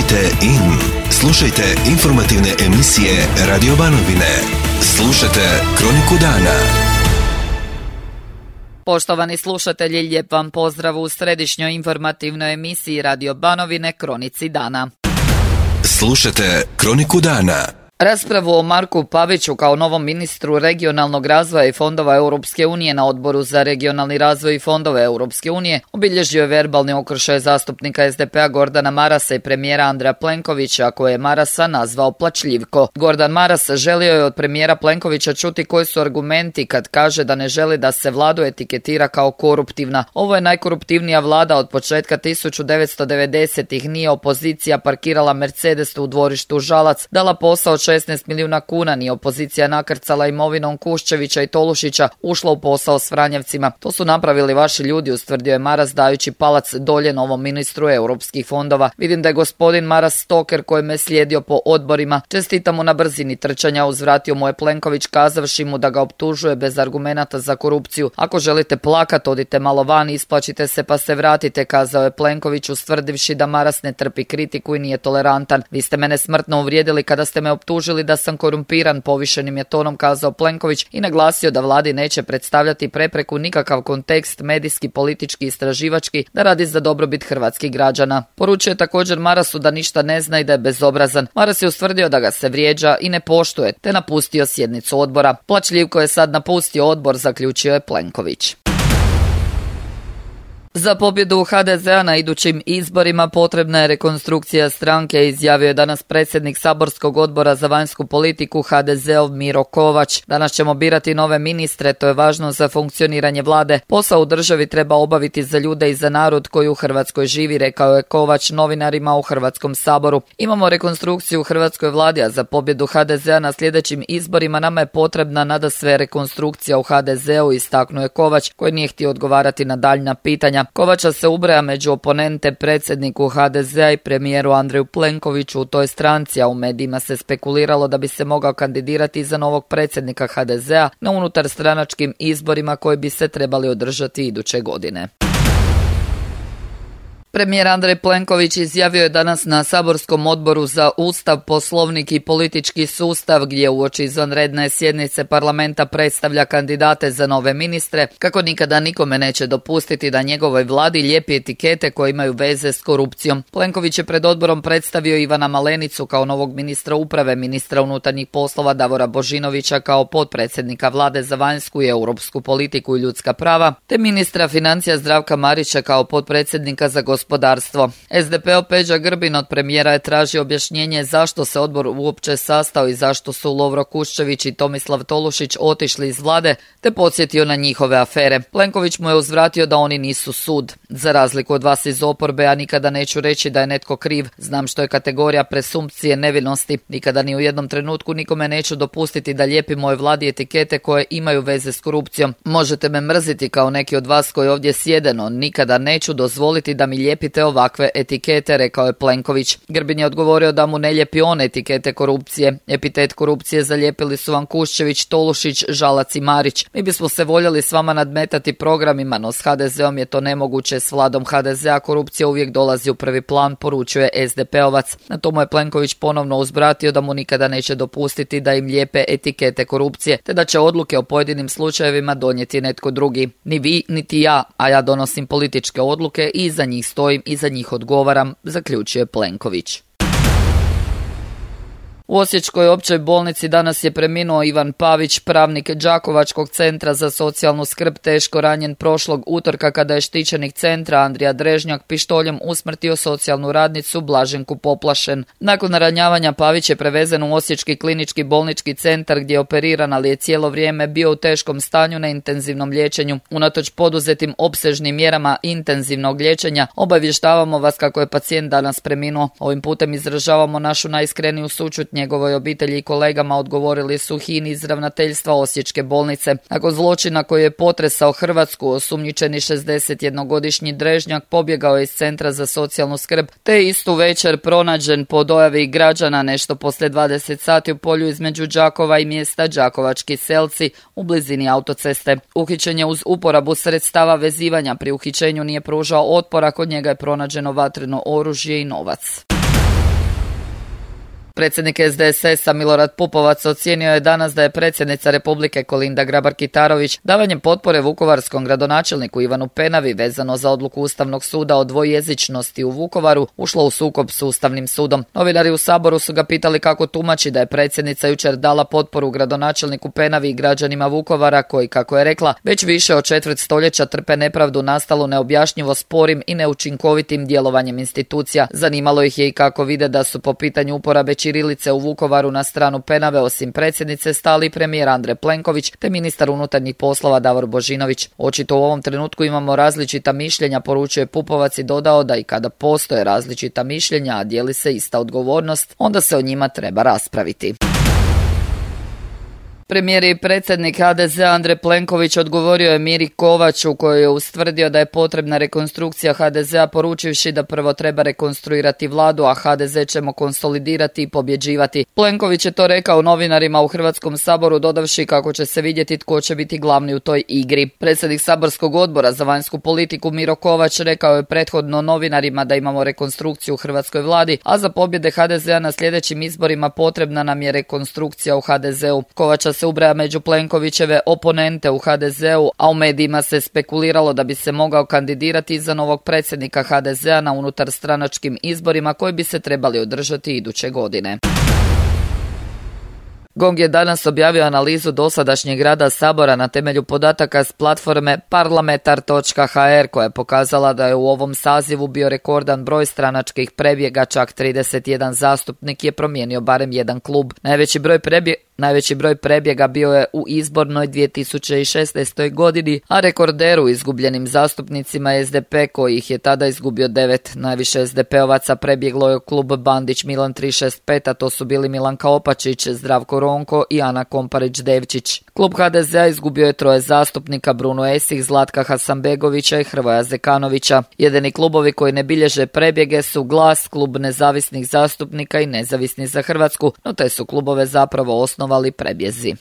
Tunite in. Slušajte informativne emisije Radio Banovine. Slušajte Kroniku dana. Poštovani slušatelji, lijep vam pozdrav u središnjoj informativnoj emisiji Radio Banovine Kronici dana. Slušajte Kroniku dana. Raspravu o Marku Paviću kao novom ministru regionalnog razvoja i fondova Europske unije na Odboru za regionalni razvoj i fondove Europske unije obilježio je verbalni okršaj zastupnika SDP-a Gordana Marasa i premijera Andreja Plenkovića, koje je Marasa nazvao plačljivko. Gordan Maras želio je od premijera Plenkovića čuti koji su argumenti kad kaže da ne želi da se vladu etiketira kao koruptivna. Ovo je najkoruptivnija vlada od početka 1990-ih. Nije opozicija parkirala Mercedes u dvorištu Žalac, dala posao 16 milijuna kuna, ni opozicija nakrcala imovinom Kuščevića i Tolušića, ušla u posao s Franjevcima. To su napravili vaši ljudi, ustvrdio je Maras dajući palac dolje novom ministru europskih fondova. Vidim da je gospodin Maras stoker koji me slijedio po odborima. Čestitam mu na brzini trčanja, uzvratio mu je Plenković kazavši mu da ga optužuje bez argumenata za korupciju. Ako želite plakat, odite malo van, isplačite se pa se vratite, kazao je Plenković, ustvrdivši da Maras ne trpi kritiku i nije tolerantan. Vi ste mene smrtno uvrijedili kada ste me optužili da sam korumpiran, povišenim je tonom kazao Plenković i naglasio da vladi neće predstavljati prepreku nikakav kontekst medijski, politički, istraživački, da radi za dobrobit hrvatskih građana. Poručio je također Marasu da ništa ne zna i da je bezobrazan. Maras je ustvrdio da ga se vrijeđa i ne poštuje, te napustio sjednicu odbora. Plačljivko je sad napustio odbor, zaključio je Plenković. Za pobjedu HDZ-a na idućim izborima potrebna je rekonstrukcija stranke, izjavio je danas predsjednik saborskog odbora za vanjsku politiku HDZ-ov Miro Kovač. Danas ćemo birati nove ministre, to je važno za funkcioniranje vlade. Posao u državi treba obaviti za ljude i za narod koji u Hrvatskoj živi, rekao je Kovač novinarima u Hrvatskom saboru. Imamo rekonstrukciju u hrvatskoj vladi, a za pobjedu HDZ-a na sljedećim izborima nama je potrebna nadasve rekonstrukcija u HDZ-u, istaknuo je Kovač, koji nije htio odgovarati na daljnja pitanja. Kovača se ubraja među oponente predsjedniku HDZ-a i premijeru Andreju Plenkoviću u toj stranci, a u medijima se spekuliralo da bi se mogao kandidirati za novog predsjednika HDZ-a na unutarstranačkim izborima koji bi se trebali održati iduće godine. Premijer Andrej Plenković izjavio je danas na saborskom odboru za Ustav, Poslovnik i politički sustav, gdje uoči izvanredne sjednice parlamenta predstavlja kandidate za nove ministre, kako nikada nikome neće dopustiti da njegovoj vladi lijepi etikete koje imaju veze s korupcijom. Plenković je pred odborom predstavio Ivana Malenicu kao novog ministra uprave, ministra unutarnjih poslova Davora Božinovića kao potpredsjednika vlade za vanjsku i europsku politiku i ljudska prava, te ministra financija Zdravka Marića kao potpredsjednika za gospodarstvo. SDP-ov Peđa Grbin od premijera je tražio objašnjenje zašto se odbor uopće sastao i zašto su Lovro Kuščević i Tomislav Tolušić otišli iz vlade, te podsjetio na njihove afere. Plenković mu je uzvratio da oni nisu sud. Za razliku od vas iz oporbe, ja nikada neću reći da je netko kriv. Znam što je kategorija presumpcije nevinosti. Nikada ni u jednom trenutku nikome neću dopustiti da lijepi mojoj vladi etikete koje imaju veze s korupcijom. Možete me mrziti kao neki od vas koji ovdje sjede, no nikada neću dozvoliti da mi lijepite ovakve etikete, rekao je Plenković. Grbin je odgovorio da mu ne lijepi on etikete korupcije. Epitet korupcije zalijepili su vam Kuščević, Tolušić, Žalac i Marić. Mi bismo se voljeli s vama nadmetati programima, no s HDZ-om je to nemoguće. S vladom HDZ-a korupcija uvijek dolazi u prvi plan, poručuje SDP-ovac. Na tomu je Plenković ponovno uzvratio da mu nikada neće dopustiti da im lijepe etikete korupcije, te da će odluke o pojedinim slučajevima donijeti netko drugi. Ni vi, niti ja, a ja donosim političke odluke i iza njih stojim i za njih odgovaram, zaključuje Plenković. U Osječkoj općoj bolnici danas je preminuo Ivan Pavić, pravnik Đakovačkog centra za socijalnu skrb, teško ranjen prošlog utorka kada je štićenik centra Andrija Drežnjak pištoljem usmrtio socijalnu radnicu Blaženku Poplašen. Nakon ranjavanja Pavić je prevezen u Osječki klinički bolnički centar gdje je operiran, ali je cijelo vrijeme bio u teškom stanju na intenzivnom liječenju. Unatoč poduzetim opsežnim mjerama intenzivnog liječenja, obavještavamo vas kako je pacijent danas preminuo. Ovim putem izražavamo našu najiskreniju sućut njegovoj obitelji i kolegama, odgovorili su HINA iz ravnateljstva Osječke bolnice. Nakon zločina koji je potresao Hrvatsku, osumnjičeni 61-godišnji Drežnjak pobjegao je iz centra za socijalnu skrb, te istu večer pronađen po dojavi građana nešto poslije 20 sati u polju između Đakova i mjesta Đakovački Selci u blizini autoceste. Uhićen je uz uporabu sredstava vezivanja. Pri uhićenju nije pružao otpora, kod njega je pronađeno vatreno oružje i novac. Predsjednik SDSS-a Milorad Pupovac ocijenio je danas da je predsjednica Republike Kolinda Grabar-Kitarović davanjem potpore vukovarskom gradonačelniku Ivanu Penavi vezano za odluku Ustavnog suda o dvojezičnosti u Vukovaru ušla u sukob s Ustavnim sudom. Novinari u Saboru su ga pitali kako tumači da je predsjednica jučer dala potporu gradonačelniku Penavi i građanima Vukovara koji, kako je rekla, već više od četvrt stoljeća trpe nepravdu nastalu neobjašnjivo sporim i neučinkovitim djelovanjem institucija. Zanimalo ih je i kako vide da su po pitanju uporabe ćirilice u Vukovaru na stranu Penave osim predsjednice stali premijer Andrej Plenković te ministar unutarnjih poslova Davor Božinović. Očito u ovom trenutku imamo različita mišljenja, poručuje Pupovac i dodao da i kada postoje različita mišljenja, a dijeli se ista odgovornost, onda se o njima treba raspraviti. Premijer i predsjednik HDZ Andrej Plenković odgovorio je Miri Kovaču koji je ustvrdio da je potrebna rekonstrukcija HDZ-a poručivši da prvo treba rekonstruirati vladu, a HDZ ćemo konsolidirati i pobjeđivati. Plenković je to rekao novinarima u Hrvatskom saboru dodavši kako će se vidjeti tko će biti glavni u toj igri. Predsjednik saborskog odbora za vanjsku politiku Miro Kovač rekao je prethodno novinarima da imamo rekonstrukciju u hrvatskoj vladi, a za pobjede HDZ-a na sljedećim izborima potrebna nam je rekonstrukcija u HDZ-u. Kovača se ubraja među Plenkovićeve oponente u HDZ-u, a u medijima se spekuliralo da bi se mogao kandidirati za novog predsjednika HDZ-a na unutarstranačkim izborima koji bi se trebali održati iduće godine. GONG je danas objavio analizu dosadašnjeg rada Sabora na temelju podataka s platforme parlamentar.hr koja je pokazala da je u ovom sazivu bio rekordan broj stranačkih prebjega, čak 31 zastupnik je promijenio barem jedan klub. Najveći broj prebjega bio je u izbornoj 2016. godini, a rekorderu izgubljenim zastupnicima je SDP koji ih je tada izgubio 9. Najviše SDP-ovaca prebjeglo je klub Bandić Milan 365, a to su bili Milanka Opačić, Zdravko Ronko i Ana Komparić-Devčić. Klub HDZ-a izgubio je 3 zastupnika, Bruno Esih, Zlatka Hasanbegovića i Hrvoja Zekanovića. Jedini klubovi koji ne bilježe prebjege su Glas, klub nezavisnih zastupnika i Nezavisni za Hrvatsku, no te su klubove zapravo osnovali prebjezi.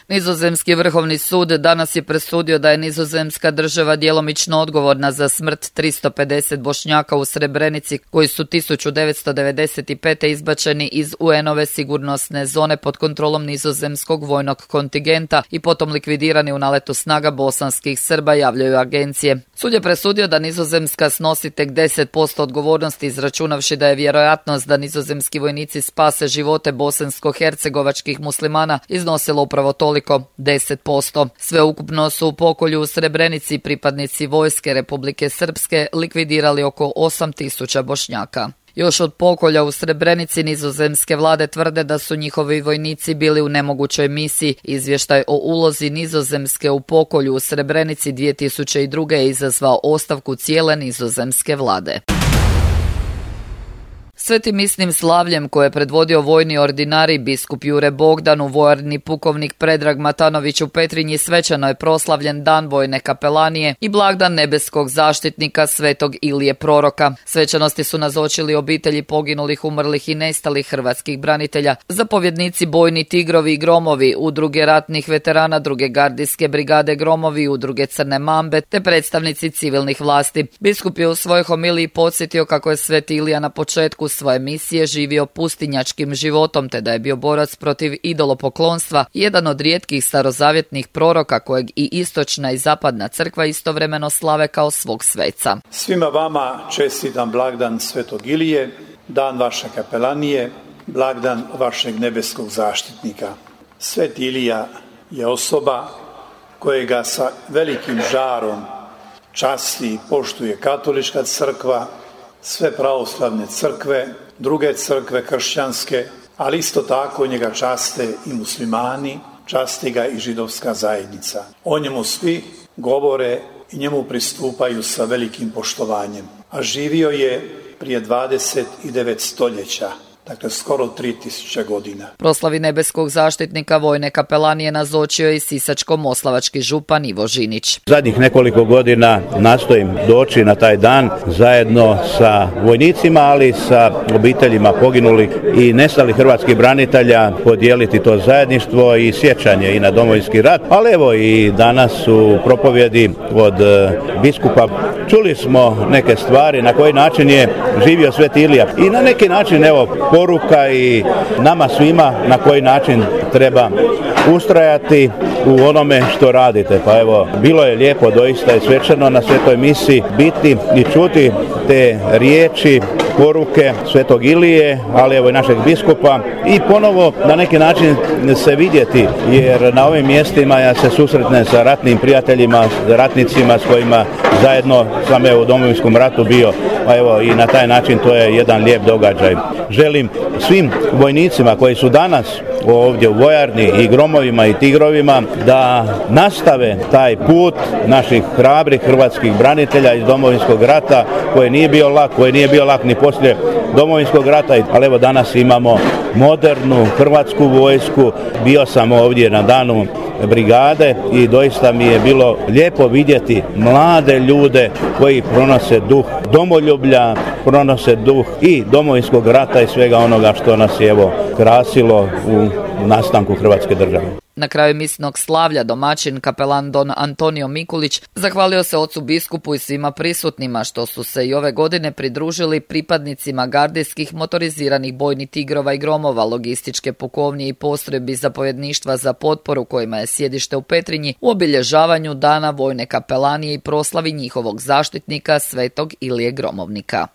Nizozemski vrhovni sud danas je presudio da je nizozemska država djelomično odgovorna za smrt 350 Bošnjaka u Srebrenici koji su 1995. izbačeni iz UN-ove sigurnosne zone pod kontrolom nizozemskog vojnog kontingenta i potom likvidirani u naletu snaga bosanskih Srba, javljaju agencije. Sud je presudio da Nizozemska snosi tek 10% odgovornosti, izračunavši da je vjerojatnost da nizozemski vojnici spase živote bosansko-hercegovačkih muslimana iznosilo upravo toliko, 10%. Sveukupno su u pokolju u Srebrenici pripadnici vojske Republike Srpske likvidirali oko 8.000 Bošnjaka. Još od pokolja u Srebrenici nizozemske vlade tvrde da su njihovi vojnici bili u nemogućoj misiji. Izvještaj o ulozi Nizozemske u pokolju u Srebrenici 2002. je izazvao ostavku cijele nizozemske vlade. Svetim misnim slavljem koje je predvodio vojni ordinari biskup Jure Bogdan u vojarni pukovnik Predrag Matanović u Petrinji svečano je proslavljen dan vojne kapelanije i blagdan nebeskog zaštitnika svetog Ilije Proroka. Svečanosti su nazočili obitelji poginulih, umrlih i nestalih hrvatskih branitelja, zapovjednici bojni Tigrovi i Gromovi, udruge ratnih veterana druge gardijske brigade Gromovi, udruge Crne Mambe te predstavnici civilnih vlasti. Biskup je u svojoj homiliji podsjetio kako je sveti Ilija na početku svoje misije živio pustinjačkim životom te da je bio borac protiv idolopoklonstva, jedan od rijetkih starozavjetnih proroka kojeg i istočna i zapadna crkva istovremeno slave kao svog sveca. Svima vama čestitam blagdan Svetog Ilije, dan vaše kapelanije, blagdan vašeg nebeskog zaštitnika. Sveti Ilija je osoba kojega sa velikim žarom časti i poštuje katolička crkva, sve pravoslavne crkve, druge crkve kršćanske, ali isto tako njega časte i muslimani, časti ga i židovska zajednica. O njemu svi govore i njemu pristupaju sa velikim poštovanjem. A živio je prije 29 stoljeća. dakle skoro 3000 godina. Proslavi nebeskog zaštitnika vojne kapelanije nazočio je i sisačko-moslavački župan Ivo Žinić. Zadnjih nekoliko godina nastojim doći na taj dan zajedno sa vojnicima, ali sa obiteljima poginulih i nestalih hrvatskih branitelja, podijeliti to zajedništvo i sjećanje i na Domovinski rat. Ali evo i danas u propovjedi od biskupa čuli smo neke stvari na koji način je živio Sveti Ilija i na neki način evo poruka i nama svima na koji način treba ustrajati u onome što radite. Pa evo, bilo je lijepo doista i svečano na svetoj misi biti i čuti te riječi, poruke Svetog Ilije, ali evo i našeg biskupa i ponovo na neki način se vidjeti, jer na ovim mjestima ja se susretnem sa ratnim prijateljima, ratnicima s kojima zajedno sam u Domovinskom ratu bio, pa evo i na taj način to je jedan lijep događaj. Želim svim vojnicima koji su danas ovdje u vojarni i Gromovima i Tigrovima da nastave taj put naših hrabrih hrvatskih branitelja iz Domovinskog rata koji nije bio lak ni poslije Domovinskog rata, ali evo danas imamo modernu hrvatsku vojsku. Bio sam ovdje na danu brigade i doista mi je bilo lijepo vidjeti mlade ljude koji pronose duh domoljublja, pronose duh i Domovinskog rata i svega onoga što nas je evo krasilo u nastanku Hrvatske države. Na kraju misnog slavlja domaćin kapelan don Antonio Mikulić zahvalio se ocu biskupu i svima prisutnima što su se i ove godine pridružili pripadnicima gardijskih motoriziranih bojnih Tigrova i Gromova, logističke pukovnije i postrojbi zapovjedništva za potporu kojima je sjedište u Petrinji u obilježavanju dana vojne kapelanije i proslavi njihovog zaštitnika Svetog Ilije Gromovnika.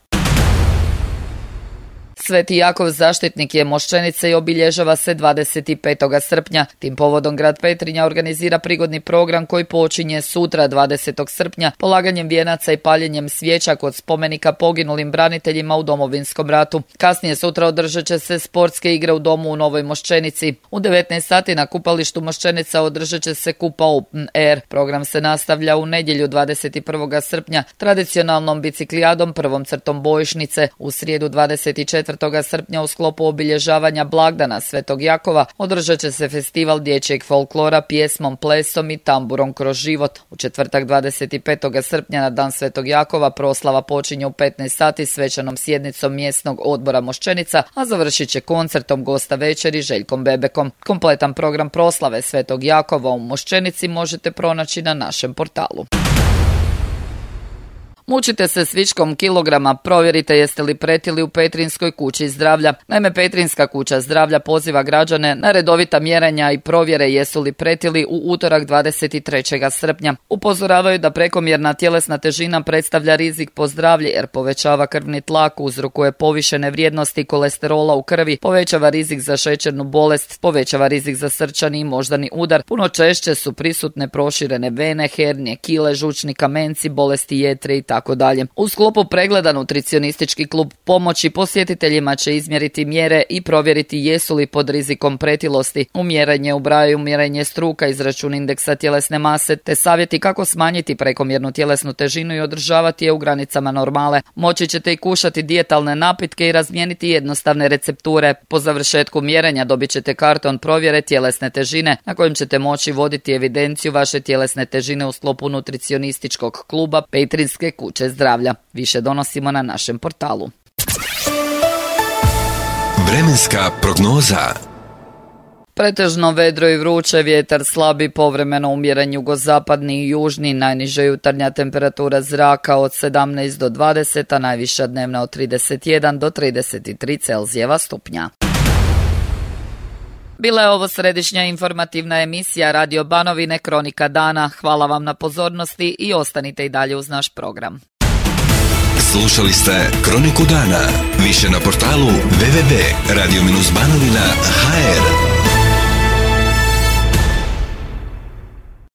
Sveti Jakov zaštitnik je Moščenice i obilježava se 25. srpnja. Tim povodom grad Petrinja organizira prigodni program koji počinje sutra 20. srpnja polaganjem vijenaca i paljenjem svijeća kod spomenika poginulim braniteljima u Domovinskom ratu. Kasnije sutra održat će se sportske igre u domu u Novoj Moščenici. U 19 sati na kupalištu Moščenica održat će se Kupa Open Air. Program se nastavlja u nedjelju 21. srpnja tradicionalnom biciklijadom prvom crtom bojišnice. U srijedu 24. srpnja u sklopu obilježavanja blagdana Svetog Jakova održat će se festival dječjeg folklora pjesmom, plesom i tamburom kroz život. U četvrtak 25. srpnja na dan Svetog Jakova proslava počinje u 15 sati svečanom sjednicom mjesnog odbora Moščenica, a završit će koncertom gosta večeri Željkom Bebekom. Kompletan program proslave Svetog Jakova u Moščenici možete pronaći na našem portalu. Mučite se s viškom kilograma, provjerite jeste li pretili u Petrinjskoj kući zdravlja. Naime, Petrinjska kuća zdravlja poziva građane na redovita mjerenja i provjere jesu li pretili u utorak 23. srpnja. Upozoravaju da prekomjerna tjelesna težina predstavlja rizik po zdravlje jer povećava krvni tlak, uzrokuje povišene vrijednosti kolesterola u krvi, povećava rizik za šećernu bolest, povećava rizik za srčani i moždani udar. Puno češće su prisutne proširene vene, hernije, kile, žučni kamenci, bolesti jetre i tako dalje. U sklopu pregleda nutricionistički klub pomoći posjetiteljima će izmjeriti mjere i provjeriti jesu li pod rizikom pretilosti. U mjerenje ubrajaju mjerenje struka, izračun indeksa tjelesne mase te savjeti kako smanjiti prekomjernu tjelesnu težinu i održavati je u granicama normale. Moći ćete i kušati dijetalne napitke i razmijeniti jednostavne recepture. Po završetku mjerenja dobit ćete karton provjere tjelesne težine na kojem ćete moći voditi evidenciju vaše tjelesne težine u sklopu nutricionističkog kluba Petrinjske kuće zdravlja. Više donosimo na našem portalu. Vremenska prognoza. Pretežno vedro i vruće, vjetar slabi, povremeno umjeren jugozapadni i južni, najniža jutarnja temperatura zraka od 17 do 20, a najviša dnevna od 31 do 33 Celzijeva stupnja. Bila je ovo središnja informativna emisija Radio Banovine Kronika dana. Hvala vam na pozornosti i ostanite i dalje uz naš program. Slušali ste Kroniku dana. Više na portalu www.radio-banovina.hr.